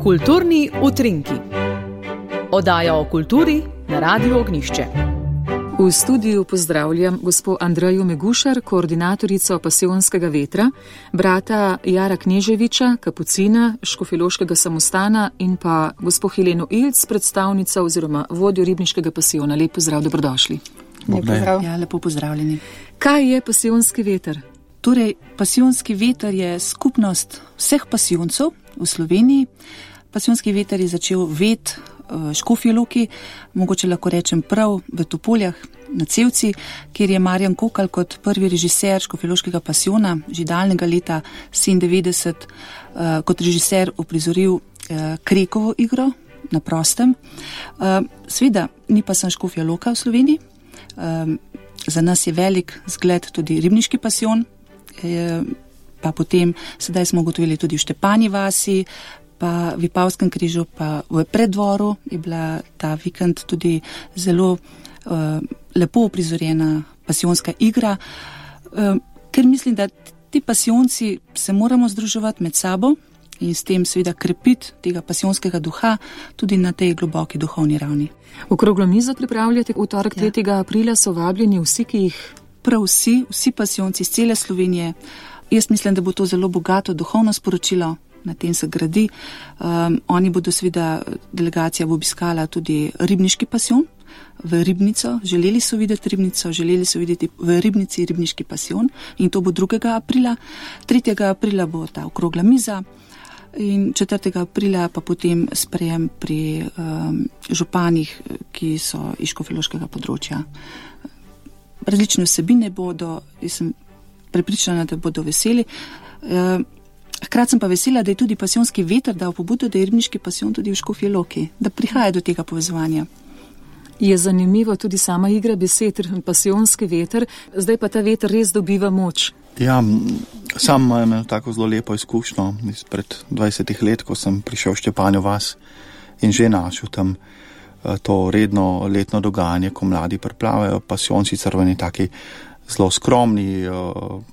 Kulturni utrinki. Oddaja o kulturi na Radiu Ognjišče. V studiu pozdravljam gospo Andrejo Megušar, koordinatorico Pasijonskega vetra, brata Jara Kneževiča, kapucina Škofjeloškega samostana in pa gospo Heleno Ilc, predstavnica oziroma vodjo Ribniškega pasijona. Lep pozdrav, dobrodošli. Lep pozdrav. Ja, lepo pozdravljeni. Kaj je Pasijonski veter? Torej, Pasijonski veter je skupnost vseh pasijoncev v Sloveniji. Pasijonski veter je začel vet v Škofji Loki, mogoče lahko rečem prav v Topoljah na Cevci, kjer je Marjan Kokal kot prvi režiser Škofjeloškega pasijona že daljnega leta 1997 kot režiser uprizoril Krekovo igro na prostem. Seveda ni pa sem Škofja Loka v Sloveniji. Za nas je velik zgled tudi Ribniški pasijon, pa potem sedaj smo ugotovili tudi v Štepanji vasi, pa v Vipavskem križu, pa v Preddvoru je bila ta vikend tudi zelo lepo uprizorjena pasijonska igra, ker mislim, da ti pasijonci se moramo združevati med sabo in s tem seveda krepiti tega pasijonskega duha tudi na tej globoki duhovni ravni. Okroglo mizo pripravljate v torek 3. aprila, so vabljeni vsi, ki jih... Prav vsi pasijonci iz cele Slovenije. Jaz mislim, da bo to zelo bogato duhovno sporočilo, na tem se gradi. Oni bodo seveda, delegacija bo obiskala tudi Ribniški pasijon v Ribnico. Želeli so videti Ribnico, želeli so videti v Ribnici Ribniški pasijon in to bo 2. aprila. 3. aprila bo ta okrogla miza in 4. aprila pa potem sprejem pri županih, ki so iz škofjeloškega področja. Različne vsebine bodo, jaz sem prepričana, da bodo veseli. Hkrati sem pa vesela, da je tudi Pasijonski veter dal pobudo, da je Ribniški pasijon tudi v Škofji Loki, da prihaja do tega povezovanja. Je zanimivo tudi sama igra besed, Pasijonski veter, zdaj pa ta veter res dobiva moč. Ja, sam imam tako zelo lepo izkušnjo izpred 20 let, ko sem prišel v Štepanjo vas in že našel tam to redno letno dogajanje, ko mladi priplavajo. Pasijon sicer v eni taki zelo skromni,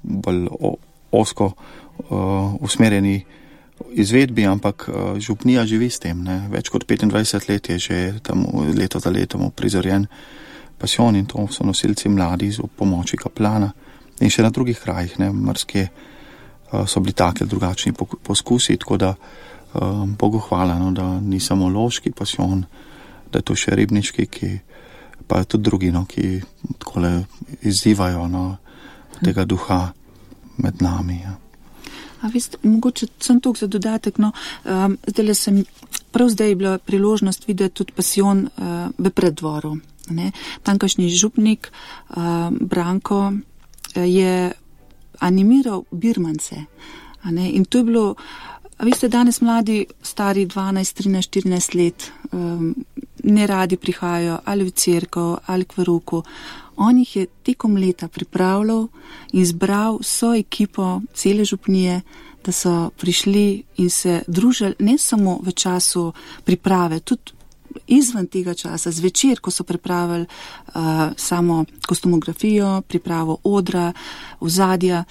bolj ozko usmerjeni izvedbi, ampak župnija živi s tem. Ne. Več kot 25 let je že tam leto za letom prizorjen pasijon in to so nosilci mladi z pomoči kaplana in še na drugih krajih, ne, marske so bili take drugačni poskusi, tako da Bogu hvala, no, da ni samo loški pasijon, da je to še Ribniški, pa tudi drugi, no, ki takole izzivajo, no, tega duha med nami. Ja. A veste, mogoče sem tukaj za dodatek, no, zdaj je bila priložnost videti tudi pasijon v Preddvoru. Tamkajšnji župnik Branko je animiral birmance. In to je bilo, a veste, danes mladi, stari 12, 13, 14 let, ne radi prihajajo ali v cerkev ali k verouku. On jih je tekom leta pripravljal in zbral vso ekipo cele župnije, da so prišli in se družili ne samo v času priprave, tudi izven tega časa, zvečer, ko so pripravili samo kostumografijo, pripravo odra, ozadja.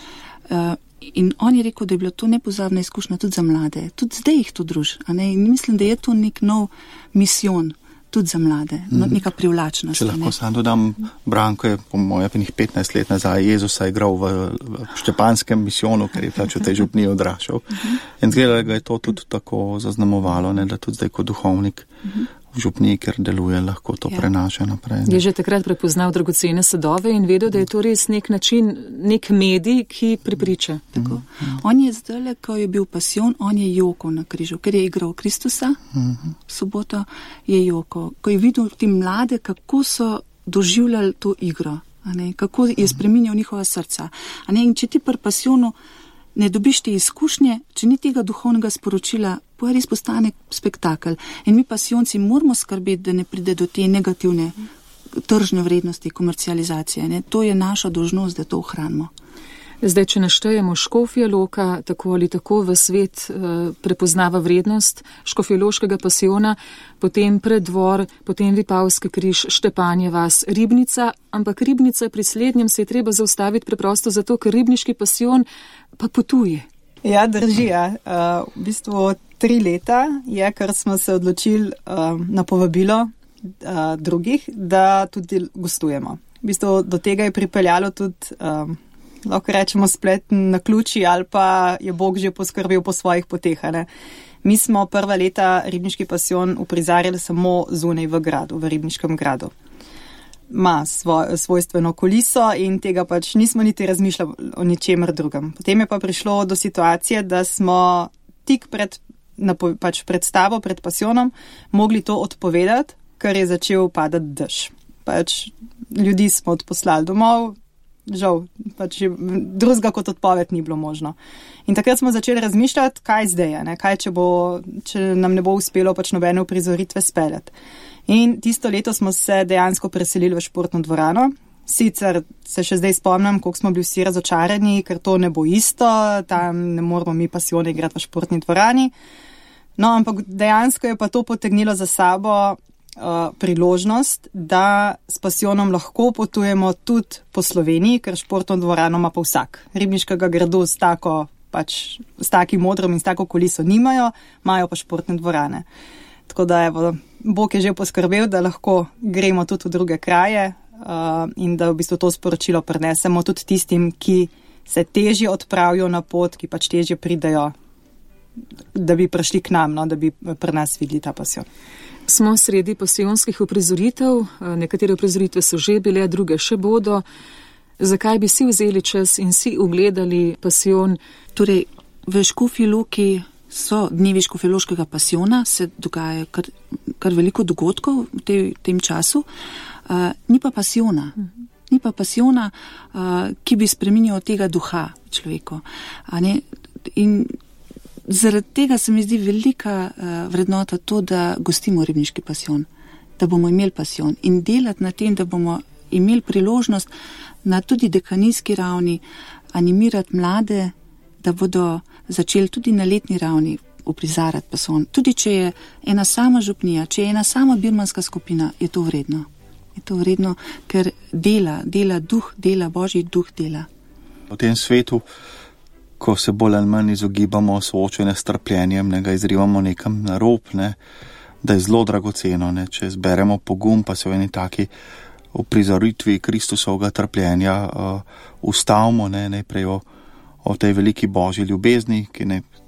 In on je rekel, da je bilo to nepozabna izkušnja tudi za mlade. Tudi zdaj jih to druži. In mislim, da je to nek nov misijon tudi za mlade, neka privlačnost. Če lahko sam dodam, Branko je po moje 15 let nazaj Jezusa igral v štepanskem misijonu, ker je pač v tej župniji odraščal. In zgleda ga je to tudi tako zaznamovalo, ne, da tudi zdaj kot duhovnik v župniji, ker deluje, lahko to prenaša naprej. Ne. Je že takrat prepoznal dragocene sadove in vedel, da je to res nek način, nek medij, ki pripriča. Tako. On je zdaj, ko je bil pasijon, on je jokal na križu, ker je igral Kristusa, v soboto je jokal. Ko je videl ti mlade, kako so doživljali to igro, kako je spreminjal njihova srca. In če ti pri pasijonu ne dobiš te izkušnje, če ni tega duhovnega sporočila, pa res postane spektakel. In mi pasijonci moramo skrbeti, da ne pride do te negativne tržne vrednosti, komercializacije. To je naša dolžnost, da to ohranimo. Zdaj, če naštejemo, Škofja Loka tako ali tako v svet prepoznava vrednost škofjeloškega pasijona, potem Preddvor, potem Vipavski križ, Štepanje vas, Ribnica, ampak Ribnica pri slednjem se je treba zaustaviti preprosto zato, ker Ribniški pasijon pa potuje. Ja, drži. V bistvu 3 leta je, ker smo se odločili na povabilo drugih, da tudi gostujemo. V bistvu do tega je pripeljalo tudi, lahko rečemo, spletni naključji ali pa je Bog že poskrbel po svojih poteh. Mi smo prva leta Ribniški pasijon uprizarjali samo zunaj v gradu, v Ribniškem gradu. Ima svojstveno kuliso in tega pač nismo niti razmišljali o ničemer drugem. Potem je pa prišlo do situacije, da smo tik pred predstavo, pred pasijonom, mogli to odpovedati, ker je začel padati dež. Pač ljudi smo odposlali domov, žal, pač drugega kot odpoved ni bilo možno. In takrat smo začeli razmišljati, kaj zdaj je, kaj če nam ne bo uspelo pač nobene uprizoritve speljati. In tisto leto smo se dejansko preselili v športno dvorano. Sicer se še zdaj spomnim, koliko smo bili vsi razočarani, ker to ne bo isto, tam ne moramo mi pasijone igrati v športni dvorani. No, ampak dejansko je pa to potegnilo za sabo priložnost, da s pasijonom lahko potujemo tudi po Sloveniji, ker športno dvorano ima pa vsak. Ribniškega gradu s takim modrom in s tako kuliso nimajo, imajo pa športne dvorane. Tako da evo, Bog je že poskrbel, da lahko gremo tudi v druge kraje in da v bistvu to sporočilo prenesemo tudi tistim, ki se težje odpravijo na pot, ki pač težje pridejo, da bi prišli k nam, da bi pri nas videli ta pasijon. Smo sredi pasijonskih uprizoritev, nekatere uprizoritve so že bile, druge še bodo. Zakaj bi si vzeli čas in si ugledali pasijon? Torej, v Škofji Loki so dnevi škofjeloškega pasijona, se dogaja kar veliko dogodkov v tem času, ni pa pasijona. Ni pa pasijona, ki bi spreminjal tega duha človeku. In zaradi tega se mi zdi velika vrednota to, da gostimo Ribniški pasijon, da bomo imeli pasijon in delati na tem, da bomo imeli priložnost na tudi dekanijski ravni animirati mlade, da bodo začeli tudi na letni ravni uprizarati pasijon. Tudi če je ena sama župnija, če je ena sama birmanska skupina, je to vredno. Je to vredno, ker dela duh, dela Božji duh dela. V tem svetu, ko se bolj ali manj izogibamo soočenja s trpljenjem, ga izrivamo nekam na rob, da je zelo dragoceno, če zberemo pogum, pa se v eni taki uprizoritvi Kristusovega trpljenja ustavimo, najprej o tej veliki Božji ljubezni,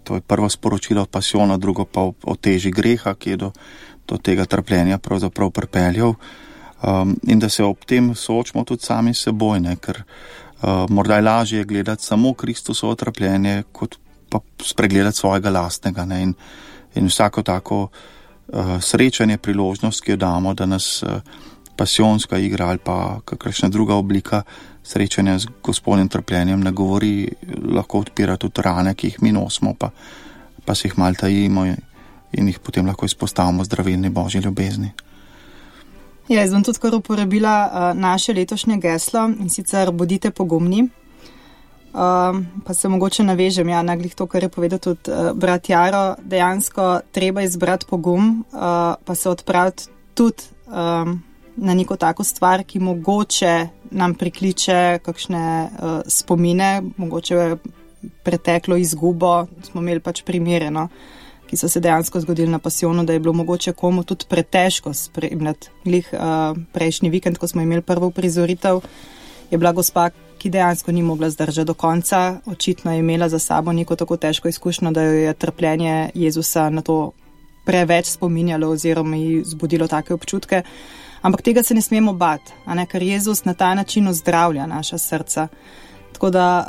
to je prvo sporočilo od pasijona, drugo pa o teži greha, ki je do tega trpljenja pravzaprav pripeljal, in da se ob tem soočimo tudi sami s seboj, ker morda je lažje gledati samo Kristusovo trpljenje, kot pa spregledati svojega lastnega. In vsako tako srečanje, priložnost, ki jo damo, da nas pasijonska igra ali pa kakršna druga oblika srečanja z Gospodnjim trpljenjem ne govori, lahko odpira tudi rane, ki jih mi nosimo, pa se jih malo tajimo in jih potem lahko izpostavimo zdravilni Božji ljubezni. Jaz bom tudi kar uporabila naše letošnje geslo in sicer bodite pogumni. Pa se mogoče navežem, naglih to, kar je povedal tudi brat Jaro, dejansko treba izbrati pogum, pa se odpraviti tudi na neko tako stvar, ki mogoče nam prikliče kakšne spomine, mogoče preteklo izgubo, smo imeli pač primere, ki so se dejansko zgodili na pasijonu, da je bilo mogoče komu tudi pretežko spremljati. Prejšnji vikend, ko smo imeli prvo uprizoritev, je bila gospa, ki dejansko ni mogla zdržati do konca, očitno je imela za sabo neko tako težko izkušnjo, da jo je trpljenje Jezusa na to preveč spominjalo oziroma ji zbudilo take občutke. Ampak tega se ne smemo bati, ker Jezus na ta način ozdravlja naša srca. Tako da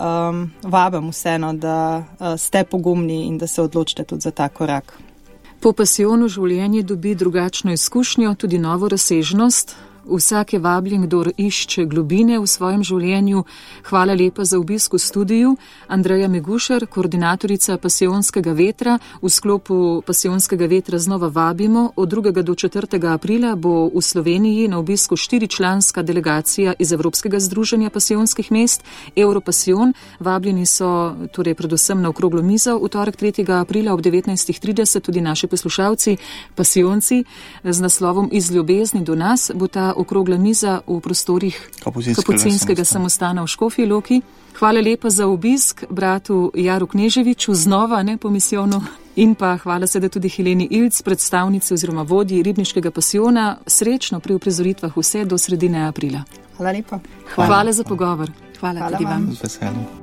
vabim vseeno, da ste pogumni in da se odločite tudi za ta korak. Po pasijonu življenje dobi drugačno izkušnjo, tudi novo razsežnost. Vsak je vabljen, kdor išče globine v svojem življenju. Hvala lepa za obisk v studiu. Andreja Megušar, koordinatorica Pasijonskega vetra. V sklopu Pasijonskega vetra znova vabimo. Od 2. do 4. aprila bo v Sloveniji na obisku 4-članska delegacija iz Evropskega združenja pasijonskih mest, Europasijon. Vabljeni so torej predvsem na okroglo mizo v torek 3. aprila ob 19.30 tudi naši poslušalci, pasijonci, z naslovom Iz ljubezni do nas bo ta okrogla miza v prostorih Kapucinskega samostana v Škofji Loki. Hvala lepa za obisk bratu Jaru Kneževiču, znova ne po misijonu. In pa hvala seveda tudi Heleni Ilc, predstavnici oziroma vodji Ribniškega pasijona. Srečno pri uprizoritvah vse do sredine aprila. Hvala lepa. Hvala za pogovor. Hvala tudi vam. Z veseljem.